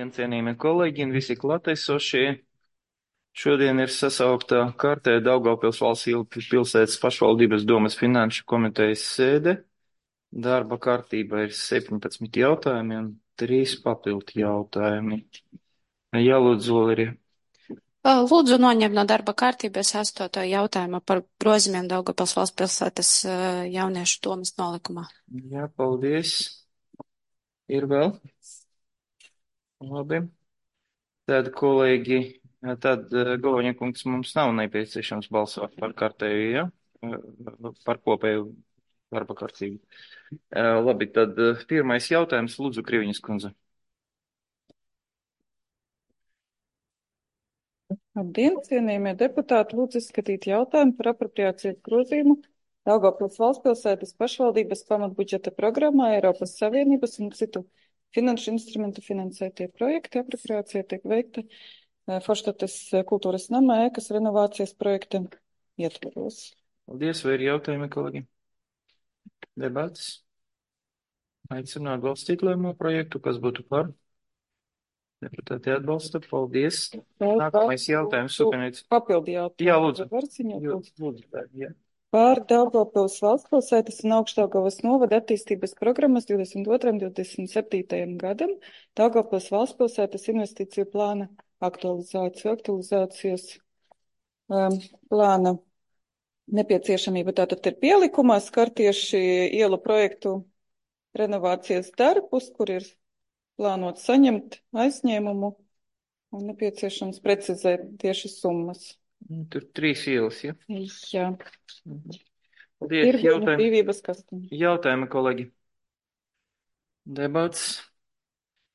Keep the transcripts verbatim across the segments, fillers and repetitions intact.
Cienījamie kolēģi un visi klātesošie, šodien ir sasaukta kārtē Daugavpils valsts pilsētas pašvaldības domes finanšu komitejas sēde. Darba kārtība ir septiņpadsmit jautājumi un trīs papildu jautājumi. Jā, lūdzu, Olerija. Lūdzu noņemt no darba kārtības astoto jautājumu par grozījumiem Daugavpils valsts pilsētas jauniešu domes nolikumā. Jā, paldies. Ir vēl? Labi. Tad, kolēģi, tad Govaņa kungs mums nav nepieciešams balsot par kārtēju, ja? Par kopēju darba kārtību. Labi, tad pirmais jautājums, lūdzu, Kriviņas kundze. Labdien, cienījamie deputāti, lūdzu izskatīt jautājumu par apropriācijas grozījumu Daugavpils valsts pilsētas pašvaldības pamatbudžeta programmā Eiropas Savienības un citu finanšu instrumentu finansētie projekti. Apropriācija tiek veikta Forštates kultūras nama ēkas renovācijas projekta ietvaros. Paldies, vai ir jautājumi, kolēģi? Debats? Aicinu atbalstīt lēmumu projektu, kas būtu par? Deputāti atbalsta, paldies. Nākamais jautājums, Supinīts. Papildi jautājumu. Jā, lūdzu. Lūdzu. Lūdzu, jā. Pār Daugavpils valsts pilsētas un Augšdaugavas novada attīstības programmas divdesmit otram un divdesmit septītajam gadam Daugavpils valsts pilsētas investīciju plāna aktualizāciju, aktualizācijas um, plāna nepieciešamība. Tātad ir pielikumā skar tieši ielu projektu renovācijas darbus, kur ir plānot saņemt aizņēmumu un nepieciešams precizēt tieši summas. Tur trīs ielas, ja? Jā. Paldies, Ir jautājumi. brīvības kastiņa. Jautājumi, kolēģi. Debats.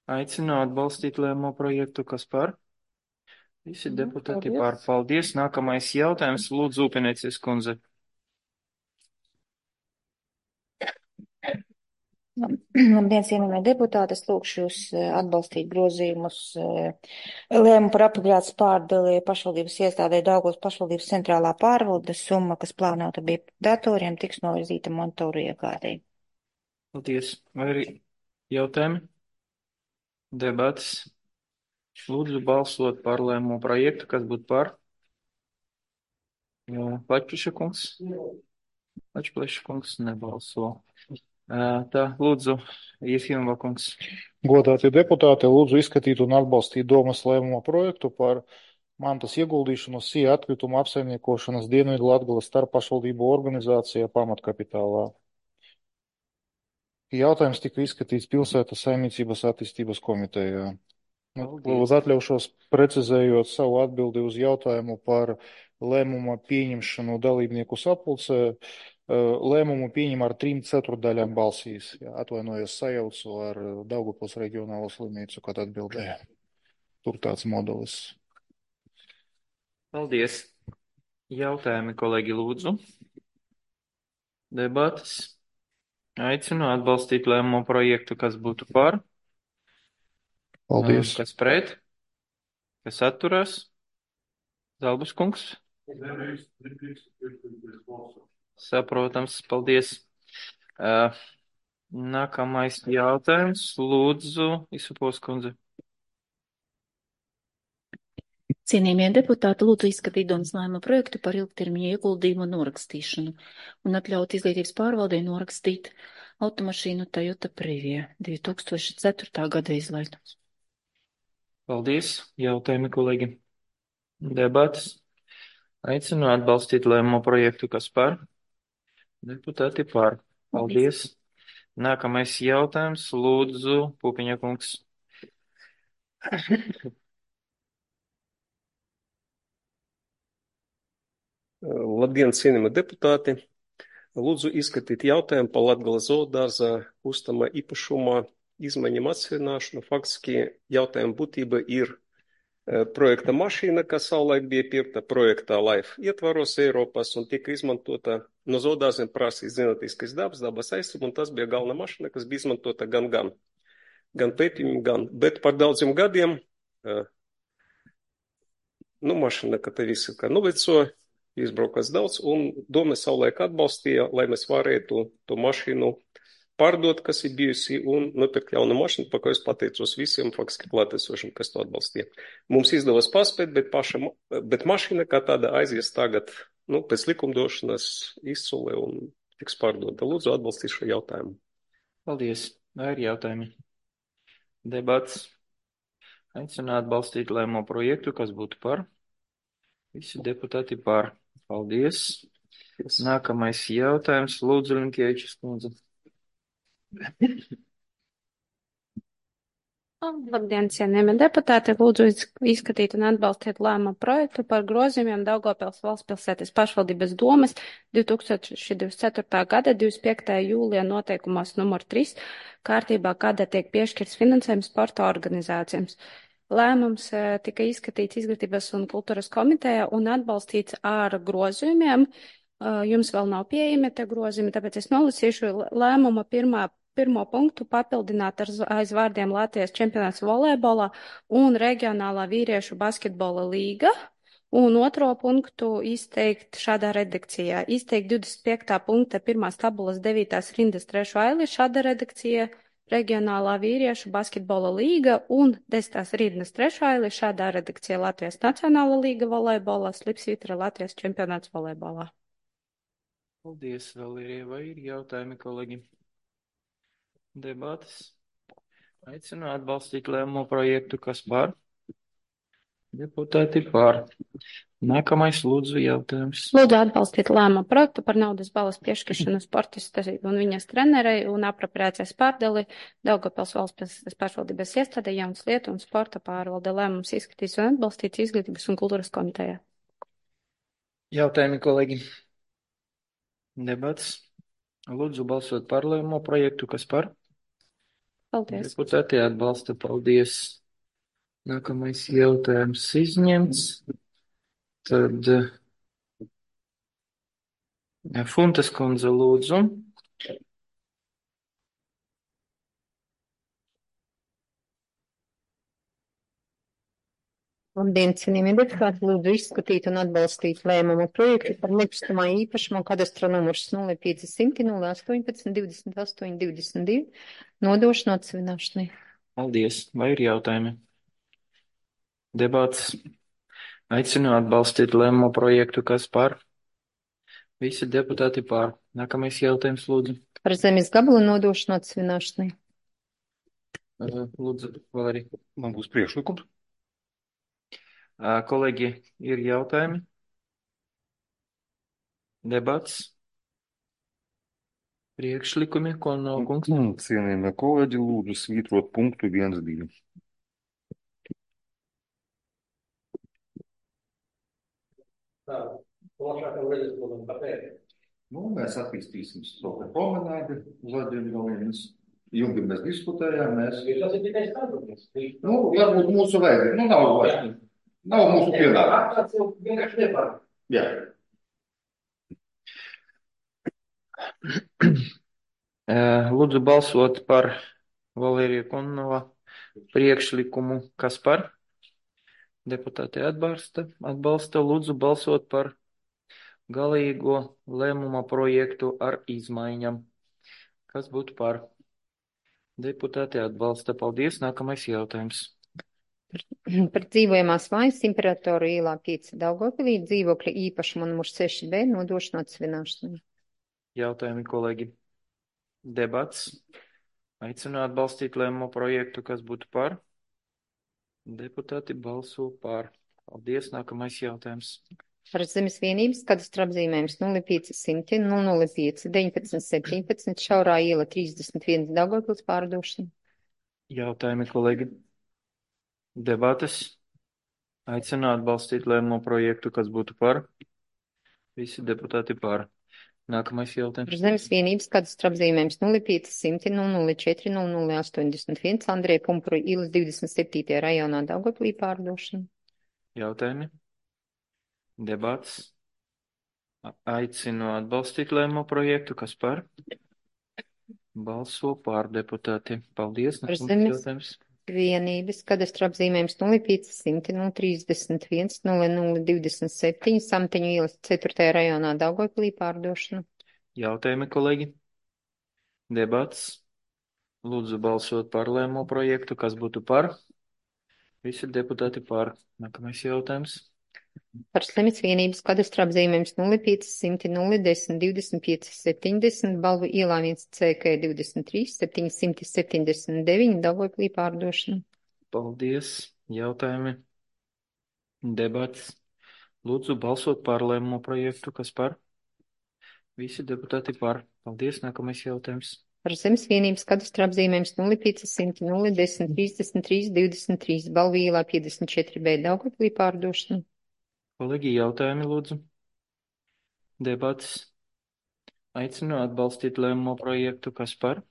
Aicinu atbalstīt lēmumu projektu, kas par? Visi Jā, deputāti paldies. par. Paldies. Nākamais jautājums, lūdzu, Upinēcies kundze. Labdien, cienījamie deputāti, es lūkšu jūs atbalstīt grozījumus lēmumu par apropriācijas pārdali pašvaldības iestādē Daugavas pašvaldības centrālā pārvaldes summa, kas plānota bija datoriem, tiks novirzīta monitoru iegādēji. Paldies. Vai ir jautājumi? Debats. Lūdzu balsot par lēmumu projektu, kas būtu par? Jā, Plačpliša kungs. Plačpliša kungs nebalso. Tā, lūdzu, Jefimova kungs. Godātie deputāti, lūdzu izskatīt un atbalstīt domas lēmuma projektu par mantas ieguldīšanu S I A atkritumu apsaimniekošanas Dienvidu Latgales starppašvaldību organizācijā pamatkapitālā. Jautājums tika izskatīts pilsētas saimniecības attīstības komitejā. Lūdzu atļaušos precizējot savu atbildi uz jautājumu par lēmuma pieņemšanu dalībnieku sapulcē. Lēmumu pieņem ar trim ceturtdaļām balsīs. Jā, atvainojos sajaucu ar Daugavpils reģionālo slimnīcu, kad atbildēju. Tur tāds modelis. Paldies. Jautājumi, kolēģi, lūdzu. Debatas. Aicinu atbalstīt lēmumu projektu, kas būtu par. Paldies. Kas pret? Kas atturās? Zalbus kungs. Saprotams, paldies. Uh, nākamais jautājums. Lūdzu, Isupos kundze. Cienījamie deputāti, lūdzu izskatīt domas lēmuma projektu par ilgtermiņa ieguldījumu norakstīšanu un atļaut izglītības pārvaldei norakstīt automašīnu Toyota Previa divi tūkstoši ceturtā gada izlaidums. Paldies. Jautājumi, kolēģi. Debatas. Aicinu atbalstīt lēmumu projektu, kas par. Deputāti par. Paldies. Nākamais jautājums. Lūdzu, Pupiņa kungs. Labdien, cienījamie deputāti. Lūdzu izskatīt jautājumu par Latgales zoodārza kustamā īpašumā izmaiņām atsevināšanu. Faktiski jautājuma būtība ir projekta mašīna, kas savulaik bija pirkta projektā Life ietvaros Eiropas un tika izmantota no zoodārziem prasīs zinātniskais dabas, dabas aizsardzība, un tas bija galvenā mašīna, kas bija izmantota gan, gan, gan pētījumi, gan, bet par daudziem gadiem, nu, mašīna, ka te visi kā noveco, izbraukās daudz, un doma savulaik atbalstīja, lai mēs varētu to mašīnu pārdot, kas ir bijusi, un nopirkt jaunu mašīnu, par ko es pateicos visiem faktiski klātesošiem, kas to atbalstīja. Mums izdevās paspēt, bet, paša, bet mašīna kā tāda aizies tagad, nu, pēc likumdošanas izsolē un tiks pārdota. Lūdzu, atbalstīt šo jautājumu. Paldies. Vai ir jautājumi? Debats. Aicinu atbalstīt lēmumu projektu, kas būtu par. Visi deputāti par. Paldies. Yes. Nākamais jautājums. Lūdzu, Linkievičs kundze. Labdien, cienījamie deputāti! Lūdzu izskatīt un atbalstīt lēmumu projektu par grozījumiem Daugavpils valstspilsētas pašvaldības domes divi tūkstoši divdesmit ceturtā gada divdesmit piektā jūlijā noteikumos numur trīs kārtībā, kādā tiek piešķirts finansējums sporta organizācijām. Lēmums tika izskatīts Izglītības un kultūras komitejā un atbalstīts ar grozījumiem. Jums vēl nav pieejami tie grozījumi, tāpēc es nolasīšu lēmuma pirmā, pirmo punktu papildināt ar aiz vārdiem Latvijas čempionāts volejbolā un reģionālā vīriešu basketbola līga, un otro punktu izteikt šādā redakcijā. Izteikt divdesmit piektā punkta pirmās tabulas devītās rindas trešo aili šāda redakcija, reģionālā vīriešu basketbola līga un desmitās rindas trešo aili šādā redakcijā Latvijas Nacionāla līga volejbolā, slipsvītra Latvijas čempionāts volejbolā. Paldies, vēl ir, vai ir jautājumi, kolēģi? Debatas. Aicinu atbalstīt lēmumu projektu, kas par. Deputāti par. Nākamais lūdzu jautājums. Lūdzu atbalstīt lēmumu projektu par naudas balas piešķiršanu sportistai un viņas trenerei un apropriācijas pārdali Daugavpils valsts pašvaldības iestādē jaunas lietu un sporta pārvalde. Lēmums izskatīs un atbalstīts Izglītības un kultūras komitejā. Jautājumi, kolēģi? Debats. Lūdzu balsot par lēmumu projektu, kas par. Paldies. Deputāti atbalsta. Paldies. Nākamais jautājums izņemts. Tad Funtas kundze lūdzu. Labdien, cienījamie deputāti, lūdzu izskatīt un atbalstīt lēmumu projektu par nekustamā īpašuma kadastra numurs nulle pieci simti nulle astoņpadsmit divdesmit astoņi divdesmit divi nodošanu atsevināšanai. Paldies. Vai ir jautājumi? Debats. Aicinu atbalstīt lēmumu projektu, kas par. Visi deputāti par. Nākamais jautājums lūdzu. Par zemes gabalu nodošanu atsevināšanai. Lūdzu, Valerija. Man būs priekšlikums. Kolēģi, ir jautājumi? Debats? Priekšlikumi, ko no kungs? Cienījamie kolēģi, lūdzu svītrot punktu viens divi. Tā, plašākam redzētājam, kāpēc? Nu, mēs attīstīsim to promenādi uz Latvijas galienes. Jungi mēs diskutējām, mēs... Tas ir tikai skaidrums. Nu, varbūt mūsu veidi. Nu, nav vairs. Nav mūsu pienākums. Tas jau vienkārši nepār. Jā. Lūdzu balsot par Valērija Kononova priekšlikumu. Kas par? Deputāti atbalsta. Atbalsta. Lūdzu balsot par galīgo lēmuma projektu ar izmaiņām. Kas būtu par? Deputāti atbalsta. Paldies. Nākamais jautājums. Par dzīvojamās mājas Imperatoru ielā pieci Daugavpilī dzīvokļa īpašuma numurs seši B nodošanu atsevināšanai. Jautājumi, kolēģi. Debats. Aicinu atbalstīt lēmumu projektu, kas būtu par. Deputāti balso par. Paldies. Nākamais jautājums. Par zemes vienības kadastra apzīmējums nulle pieci simti nulle nulle pieci deviņpadsmit septiņpadsmit Šaurā iela trīsdesmit viens Daugavpils pārdošana. Jautājumi, kolēģi. Debates. Aicinu atbalstīt lēmumu projektu, kas būtu par. Visi deputāti par. Nākamais jautājums. Par zemes vienības kadastra apzīmējums nulle pieci simti nulle nulle četri nulle nulle astoņdesmit viens Andrija Pumpuru ielas divdesmit septītajā rajonā Daugavpilī pārdošana. Jautājumi. Debats. Aicinu atbalstīt lēmumu projektu, kas par. Balso par deputāti. Paldies. Par Nākamais zemes jautājums. vienības kadastra apzīmējums nulle pieci simti nulle trīsdesmit viens nulle nulle divdesmit septiņi Samteņu ielas ceturtajā rajonā Daugavpilī pārdošana. Jautājumi, kolēģi. Debats. Lūdzu balsot par lēmumu projektu. Kas būtu par? Visi deputāti par. Nākamais jautājums. Par slimības vienības kadastra apzīmējums nulle pieci simti nulle desmit divdesmit pieci septiņdesmit Balvu ielā viens C K divdesmit trīs septiņsimti septiņdesmit deviņi Daugavpilī pārdošana. Paldies. Jautājumi. Debats. Lūdzu balsot par lēmumu projektu. Kas par? Visi deputāti par. Paldies. Nākamais jautājums. Par zemes vienības kadastra apzīmējums nulle pieci simti nulle desmit trīsdesmit trīs divdesmit trīs Balvu ielā piecdesmit četri B Daugavpilī pārdošana. Kolēģi, jautājumi lūdzu. Debats. Aicinu atbalstīt lēmumu projektu. Kas par?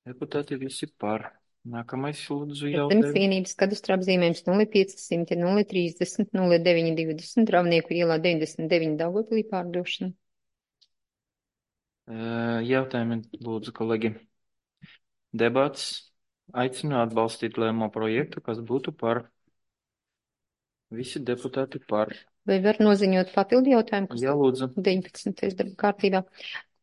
Deputāti visi par. Nākamais lūdzu Zemes jautājums. vienības kadastra apzīmējums nulle pieci simti nulle trīsdesmit nulle deviņi divdesmit Ravnieku ielā deviņdesmit deviņi Daugavpilī pārdošana. Jautājumi lūdzu, kolēģi. Debats. Aicinu atbalstīt lēmumu projektu. Kas būtu par? Visi deputāti par. Vai var noziņot papildu jautājumu, kas Jā, lūdzu. deviņpadsmitais darba kārtībā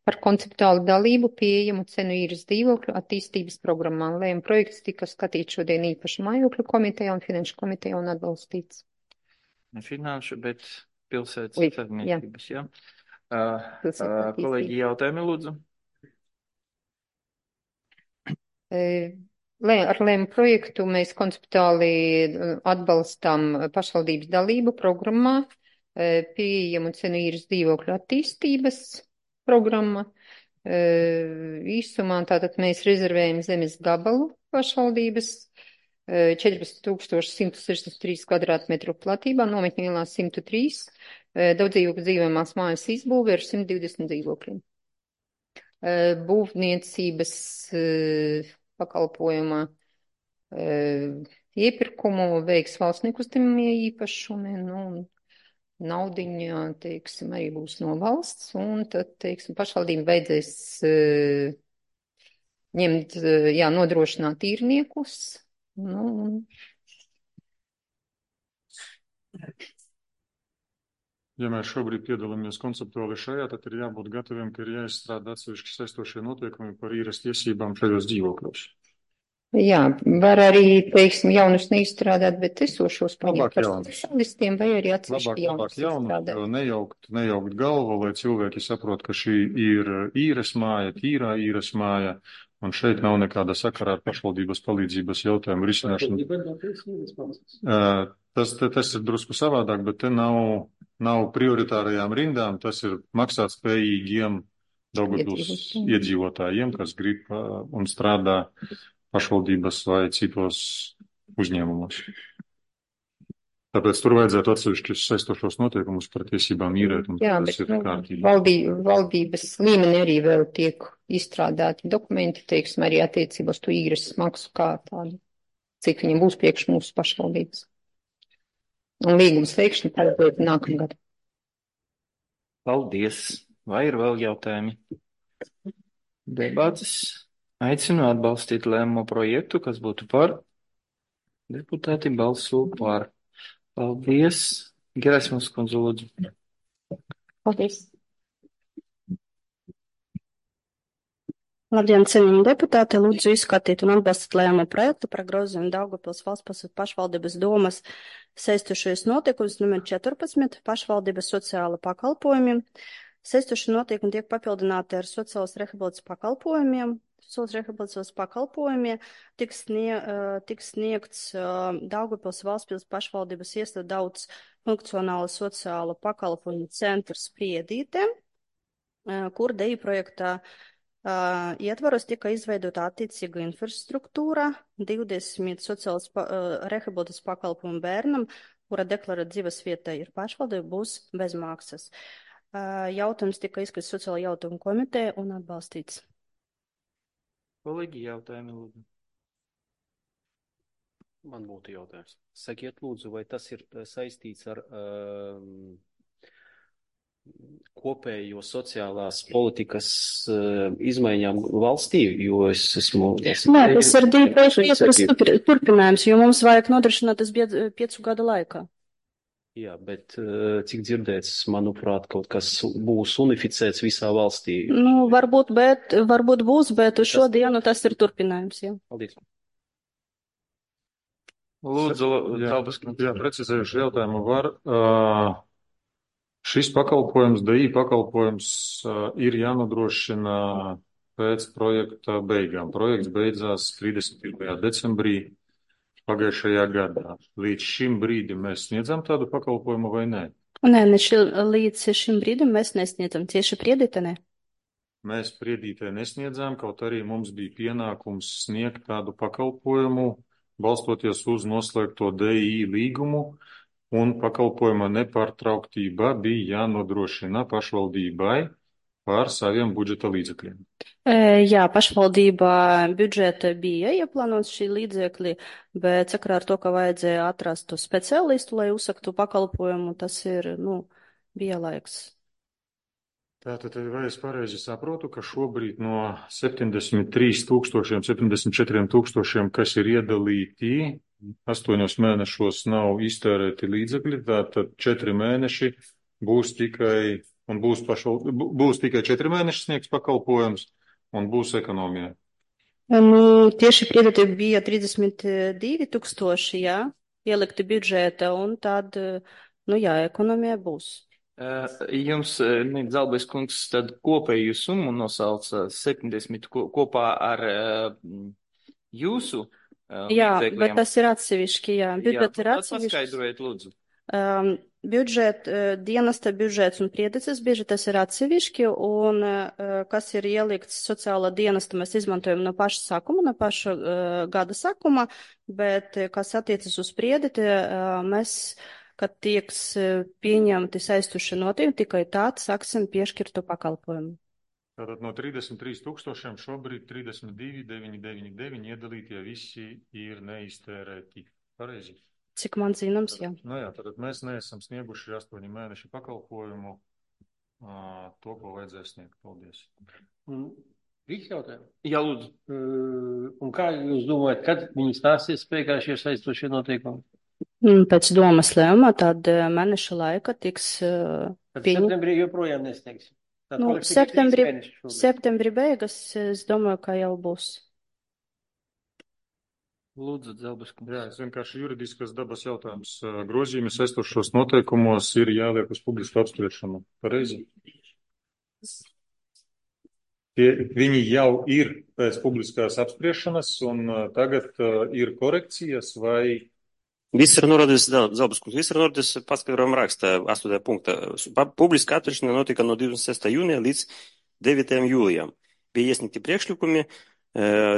par konceptuālu dalību pieejamu cenu īres dzīvokļu attīstības programmā? Lēmuma projekts tika skatīts šodien īpaši mājokļu komitejā un finanšu komitejā un atbalstīts. Ne finanšu, bet pilsētas Ui, saimniecības, jā. Uh, Pilsētas uh, attīstības. kolēģi, jautājumi lūdzu. E, Lē, ar lēmu projektu mēs konceptuāli e, atbalstām pašvaldības dalību programmā, e, pieejamu cenu īres dzīvokļu attīstības programma. E, Īsumā tātad mēs rezervējam zemes gabalu pašvaldības e, četrpadsmit tūkstoši simt sešdesmit trīs kvadrātmetru platībā, nometņu ielā simt trīs, e, daudz dzīvokļu dzīvojamās mājas izbūve ar simt divdesmit dzīvokļiem. E, Būvniecības e, pakalpojumā e, iepirkumu veiks valsts nekustamie īpašumi, nu, naudiņa, teiksim, arī būs no valsts, un tad, teiksim, pašvaldība vajadzēs e, ņemt, e, jā, nodrošināt īrniekus, nu, un Ja mēs šobrīd piedalāmies konceptuāli šajā, tad ir jābūt gataviem, ka ir jāizstrādā atsevišķi saistošie noteikumi par īres tiesībām šajos dzīvokļos. jā, var arī, teiksim, jaunus neizstrādāt, bet esošos paņemt Labāk par jaunus. specialistiem, vai arī Labāk, atsevišķi labāk jaunus jaunu, izstrādāt. nejaukt, nejaukt galvu, lai cilvēki saprot, ka šī ir īres māja, tīrā īres māja, un šeit nav nekāda sakara ar pašvaldības palīdzības jautājumu risināšanu. Uh, Tas, te, tas ir drusku savādāk, bet te nav, nav prioritārajām rindām, tas ir maksāt spējīgiem Daugavpils Iedzīvotājiem. iedzīvotājiem, kas grib uh, un strādā pašvaldības vai citos uzņēmumos. Tāpēc tur vajadzētu atsevišķus saistošos noteikumus par tiesībām īrēt, un Jā, tas bet ir nu, kārtībā. valdī, valdības līmenī arī vēl tiek izstrādāti dokumenti, teiksim, arī attiecībā uz to īres maksu kā tādu, cik viņam būs priekš mūsu pašvaldības. Un līgums veikšana paredzēta nākamgad. Paldies. Vai ir vēl jautājumi? Debats. Aicinu atbalstīt lēmumu projektu. Kas būtu par? Deputāti balso par. Paldies. Gerasmus kundze, lūdzu. Paldies. Labdien, cienījami deputāti! Lūdzu izskatīt un atbalstīt lēmumu projektu par grozījumu Daugavpils valsts pašvaldības domas saistošais noteikums numur četrpadsmit pašvaldības sociāla pakalpojumiem. Saistošie noteikumi tiek papildināti ar sociālas rehabilitācijas pakalpojumiem. Sociālas rehabilitācijas pakalpojumiem tiks, snie, tiks sniegts Daugavpils valsts pašvaldības iestāde daudz funkcionāla sociāla pakalpojumu centrs Priedīte, kur deju projektā Uh, ietvaros tika izveidota attiecīga infrastruktūra, divdesmit sociālas pa, uh, rehabilitācijas pakalpojumu bērnam, kura deklarēta dzīves vietā ir pašvaldība, būs bez maksas. Uh, jautājums tika izskatīts sociāla jautājumu komiteja un atbalstīts. Kolēģi, jautājumi lūdzu. Man būtu jautājums. Sakiet, lūdzu, vai tas ir saistīts ar um, kopējo sociālās politikas uh, izmaiņām valstī, jo es esmu... Nē, tas ir divi turpinājums, jo mums vajag nodrošināt tas piecu gadu laikā. Jā, bet eh, cik dzirdēts, manuprāt, kaut kas būs unificēts visā valstī. Nu, varbūt, bet, varbūt būs, bet uz šo dienu tas ir turpinājums, jā. Paldies. Lūdzu, Jā, Zalbaskungs. jā, precizējuši jautājumu var. Uh, šis pakalpojums, D I pakalpojums, uh, ir jānodrošina pēc projekta beigām. Projekts beidzās trīsdesmit pirmajā decembrī pagājušajā gadā. Līdz šim brīdim mēs sniedzam tādu pakalpojumu vai nē? Nē, ne ši, līdz šim brīdim mēs nesniedzam tieši priedīte, nē. Mēs priedītē nesniedzām, kaut arī mums bija pienākums sniegt tādu pakalpojumu, balstoties uz noslēgto D I līgumu, un pakalpojuma nepārtrauktība bija jānodrošina pašvaldībai par saviem budžeta līdzekļiem. E, jā, pašvaldībā budžeta bija ieplānots šī līdzekļi, bet sakarā ar to, ka vajadzēja atrast to speciālistu, lai uzsaktu pakalpojumu, tas ir, nu, bija laiks. Tātad, vai es pareizi saprotu, ka šobrīd no septiņdesmit trīs tūkstošiem, septiņdesmit četriem tūkstošiem, kas ir iedalīti, astoņos mēnešos nav iztērēti līdzekļi, tātad četri mēneši būs tikai, un būs, pašval, būs tikai četri mēneši sniegs pakalpojums, un būs ekonomija. Nu, tieši priedīte bija trīsdesmit divi tūkstoši, jā, ielikti budžeta, un tad, nu jā, ekonomija būs. Jums, Zalbaskungs, tad kopēju summu nosauca septiņdesmit kopā ar jūsu Jā, līdzekļiem. bet tas ir atsevišķi, jā. Budžets ir tad atsevišķs. paskaidrojiet, lūdzu. Um, budžet, uh, dienesta budžets un priedices bieži tas ir atsevišķi, un uh, kas ir ielikts sociālā dienesta, mēs izmantojam no paša sākuma, no paša uh, gada sākuma, bet uh, kas attiecas uz priediti, uh, mēs, kad tieks uh, pieņemti saistuši notiekumi, tikai tād sāksim piešķirt to pakalpojumu. Tātad no trīsdesmit trīs tūkstošiem šobrīd trīsdesmit divi deviņi deviņi deviņi iedalītie visi ir neiztērēti. Pareizi? Cik man zināms, jā. Nu jā, tātad mēs neesam snieguši astoņu mēnešu pakalpojumu, uh, to, ko vajadzēja sniegt. Paldies. Visi jautājumi? Jā, lūdzu. Uh, un kā jūs domājat, kad viņi stāsies spēkā šie saistošie noteikumi? Pēc domas lēmuma tad uh, mēneša laika tiks uh, Tad pieņem... septembrī joprojām nesniegsim. Tad Nu, paliks tikai septembrī, trīs mēneši šobrīd. septembrī beigas, es domāju, ka jau būs. Lūdzu, Zalbaskungs. Jā, es vienkārši juridiskas dabas jautājums. Grozījumi saistošos noteikumos ir jāliek uz publisku apspriešanu. Pareizi? Tie, viņi jau ir pēc publiskās apspriešanas, un uh, tagad uh, ir korekcijas vai... Viss ir norādīts, Zalbaskungs, viss ir norādīts paskaidrojuma rakstā astotajā punktā. Publiska apspriešana notika no divdesmit sestā jūnija līdz devītajam jūlijam. Bija iesniegti priekšlikumi,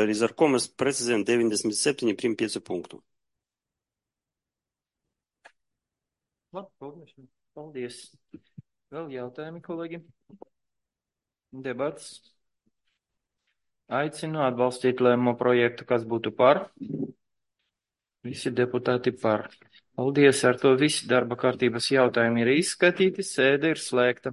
līdz ar ko mēs precizējam deviņdesmit septiņi prim pieci punktu. Labi, paldies. Paldies. Vēl jautājumi, kolēģi? Debats. Aicinu atbalstīt lēmumu projektu, kas būtu par. Visi deputāti par. Paldies, ar to visi darba kārtības jautājumi ir izskatīti, sēde ir slēgta.